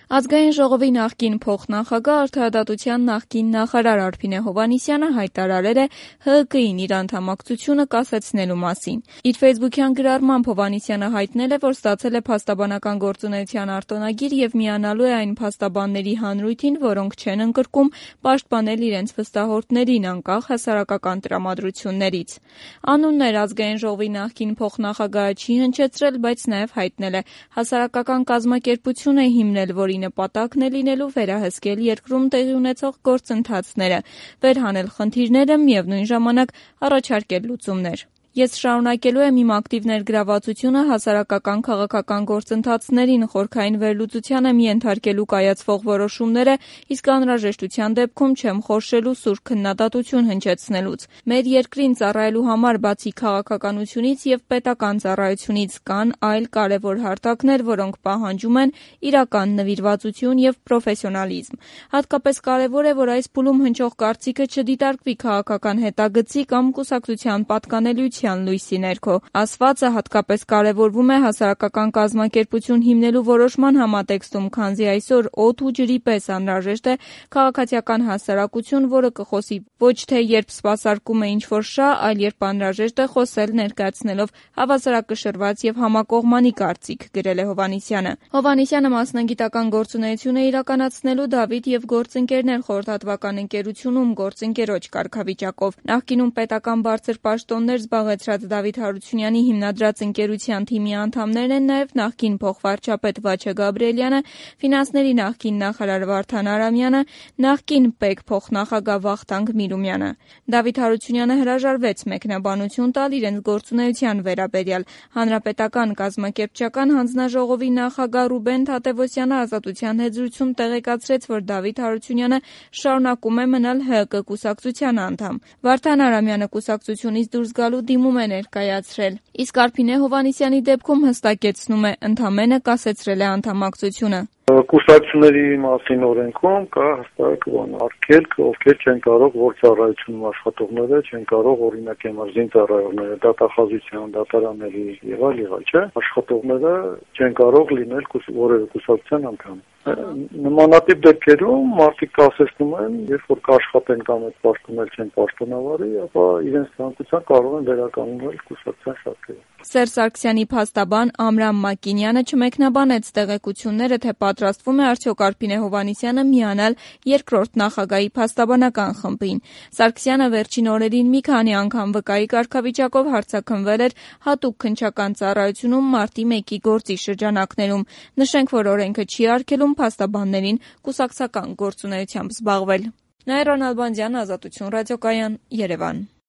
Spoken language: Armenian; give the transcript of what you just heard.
Ազգային ժողովի նախկին փոխնախագահ, արդարադատության նախկին նախարար Արփինե Հովհաննիսյանը հայտարարել է ՀՀԿ-ին իր անդամակցությունը կասեցնելու մասին։ Իր ֆեյսբուքյան գրառմամբ Հովհաննիսյանը հայտնել է, որ ստացել է փաստաբանական գործունեության արտոնագիր եւ միանալու է այն փաստաբանների հանրույթին, որոնք չեն ընկրկում պաշտպանել իրենց վստահորդներին անկախ հասարակական տրամադրություններից։ Անուններ Ազգային ժողովի նախկին փոխնախագահը չի հնչեցրել, բայց նաեւ հայտնել է հասարակական կազմակերպություն է հիմնել, որի նպատակն է լինելու վերահսկել երկրում տեղի ունեցող գործընթացները, վերհանել խնդիրները, միևնույն ժամանակ առաջարկել լուծումներ։ Ես շարունակելու եմ իմ ակտիվ ներգրավվածությունը հասարակական քաղաքական գործընթացներին, խորքային վերլուծության եմ ենթարկելու կայացվող որոշումները, իսկ անհրաժեշտության դեպքում չեմ խորշելու սուր քննադատություն հնչեցնելուց։ Մեր երկրին ծառայելու համար բացի քաղաքականությունից եւ պետական ծառայությունից կան այլ կարևոր հարթակներ, որոնք պահանջում են իրական նվիրվածություն եւ պրոֆեսիոնալիզմ։ Հատկապես կարևոր է, որ այս փուլում հնչող կարծիքը չդիտարկվի քաղաքական հետագծի կամ կուսակցության պատկանելիության լույսի ներքո։ Ասվածը հատկապես կարևորվում է հասարակական կազմակերպություն հիմնելու որոշման համատեքստում, քանզի այսօր օդ ու ջրի պես անհրաժեշտ է քաղաքացիական հասարակություն, որը կխոսի ոչ թե երբ սպասարկում է ինչ-որ շահ, այլ երբ անհրաժեշտ է խոսել ներկայացնելով հավասարակշռված եւ համակողմանի կարծիք, գրել է Հովհաննիսյանը։ Հովհաննիսյանը մասնագիտական գործունեություն է իրականացնելու Դավիթ եւ գործընկերներ խորհրդատվական ընկերությունում գործընկերոջ կարգավիճակով։ Նախկինում պետական բարձր պաշտոններ զբաղեցրած Դավիթ Հարությունյանի հիմնադրած ընկերության թիմի անդամներն են նաեւ նախկին փոխվարչապետ Վաչե Գաբրիելյանը, ֆինանսների նախկին նախարար Վարդան Արամյանը, նախկին ՊԵԿ փոխնախագահ Վախթանգ Միրումյանը։ Դավիթ Հարությունյանը հրաժարվեց մեկնաբանություն տալ իրենց գործունեության վերաբերյալ։ Հանրապետական կազմակերպչական հանձնաժողովի նախագահ Ռուբեն Թադևոսյանը Ազատության հետ զրույցում տեղեկացրեց, որ Դավիթ Հարությունյանը շարունակում է մնալ ՀՀԿ կուսակցության անդամ։ Վարդան Արամյանը կուսակցությունից դուրս գալու դիմում է ներկայացրել, իսկ Արփինե Հովհաննիսյանի դեպքում հստակեցնում է, ընդամենը կասեցրել է անդամակցությունը։ Կուսակցությունների մասին օրենքում կա հստակ արգելք, ովքեր չեն կարող որ ծառայությունում աշխատողները չեն կարող օրինակ էմարզին ծառայողները, դատախազության, դատարանների եւ այլ, չէ՞, աշխատողները չեն կարող լինել որևէ կուսակցության անդամ։ Նմանատիպ դեպքերում մարդիկ կասեցնում են, երբ որ կաշխատեն կամ այդ պաշտոններ չեն պաշտոնավարի, ապա իրենց ցանկությամբ կարող են վերականգնել կուսակցության շարքերը։ Սերժ Սարգսյանի փաստաբան Ամրամ Մակինյանը չմեկնաբանեց տեղեկությունները, թե պատրաստվում է արդյոք Արփինե Հովհաննիսյանը միանալ երկրորդ նախագահի փաստաբանական խմբին։ Սարգսյանը վերջին օրերին մի քանի անգամ վկայի կարգավիճակով հարցաքննվել էր հատուկ քննչական ծառայությունում մարտի 1-ի գործի շրջանակներում։ Նշենք, որ օրենքը չի արգելում փաստաբաններին կուսակցական գործունեությամբ զբաղվել։ Նաիրա Նալբանդյան, Ազատություն ռադիոկայան, Երևան։